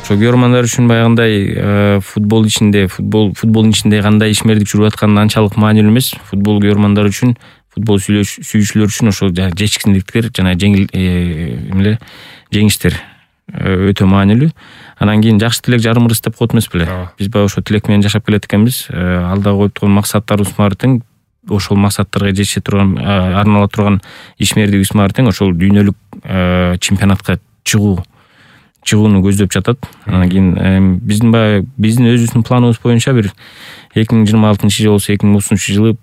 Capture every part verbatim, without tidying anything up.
ошо көрөрмандар үчүн баягындай футбол ичинде футбол футболдун ичинде кандай ишмердик жүрүп атканы анчалык маанилүү эмес. Футбол көрөрмандар үчүн, футбол сүйүүчүлөр үчүн ошол жетишкиндиктер жана жеңил эмеле жеңиштер өтө маанилүү. Анан кийин жакшы тилек жарым ырыс деп коет эмес беле. Биз баягы ошо тилек менен жашап келет экенбиз. Алда коюп турган максаттарыбыз бар тең, ошол максаттарга жетише турган, арнала турган ишмердигибиз бар тең, ошол дүйнөлүк чемпионатка чыгуу чыгууну көздөп жатат. Анан кийин биздин баягы биздин өзүбүздүн планыбыз боюнча бир эки миң жыйырма алтынчы жыл болсо эки миң отузунчу жылы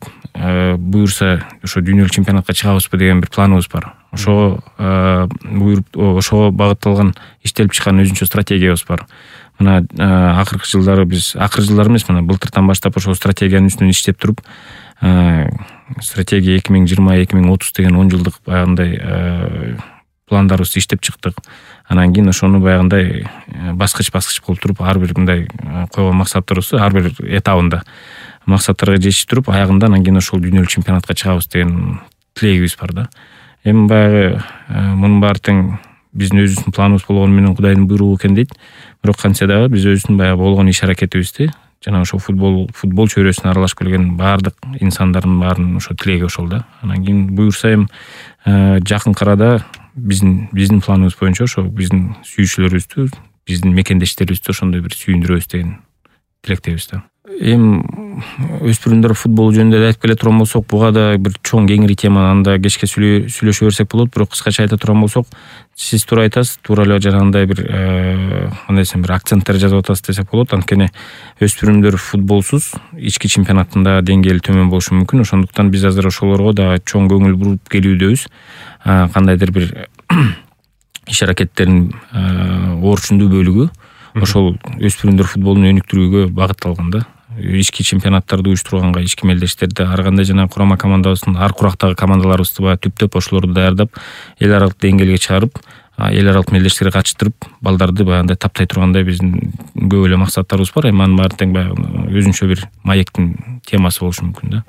буюрса ошо дүйнөлүк чемпионатка чыгабызбы деген бир планыбыз бар. Ошого буйруп ошого багытталган иштелип чыккан өзүнчө стратегиябыз бар. Мына акыркы жылдары биз акыркы жылдары эмес, мына былтыртан баштап ошол стратегиянын үстүнөн иштеп туруп, стратегия эки миң жыйырма эки миң отуз деген он жылдык баягындай пландарыбызды иштеп чыктык. Анан кийин ошону баягындай баскыч баскыч болуп туруп, ар бир мындай койгон максаттарыбызды ар бир этабында максаттарга жетиштип туруп, аягында анан кийин ошол дүйнөлүк чемпионатка чыгабыз деген тилегибиз бар да. Эми баягы мунун баары тең биздин өзүбүздүн планыбыз болгону менен Кудайдын буйругу экен дейт. Бирок кантсе дагы биз өзүбүздүн баягы болгон иш аракетибизди жана ошо футбол футбол чөйрөсүнө аралашып келген баардык инсандардын баарынын ошо тилеги ошол да. Анан кийин буюрса эми жакынкы арада биздин биздин планыбыз боюнча ошо биздин сүйүүчүлөрүбүздү, биздин мекендештерибизди ошондой бир сүйүндүрөбүз деген тилектебиз да. Эми өспүрүмдөр футбол жөнүндө айтып келе турган болсок, буга да бир чоң кеңири тема, анда кечке сүйлөшө берсек болот. Бирок кыскача айта турган болсок, сиз туура айтасыз, туура эле жанагындай бир кандай десем, бир акценттер жазып атасыз десек болот. Анткени өспүрүмдөр футболсуз ички чемпионаттын да деңгээли төмөн болушу мүмкүн. Ошондуктан биз азыр ошолорго да чоң көңүл буруп келүүдөбүз. Кандайдыр бир иш аракеттердин орчундуу бөлүгү ошол өспүрүмдөр футболун өнүктүрүүгө багытталган да. Ички чемпионаттарды уюштурганга ички мелдештерди ар кандай жана курама командабыздын ар курактагы командаларыбызды баягы түптөп ошолорду даярдап, эл аралык деңгээлге чыгарып, эл аралык мелдештерге катыштырып, балдарды баягындай таптай тургандай биздин көп эле максаттарыбыз бар. Эми анын баары тең баягы өзүнчө бир маектин темасы болушу мүмкүн да.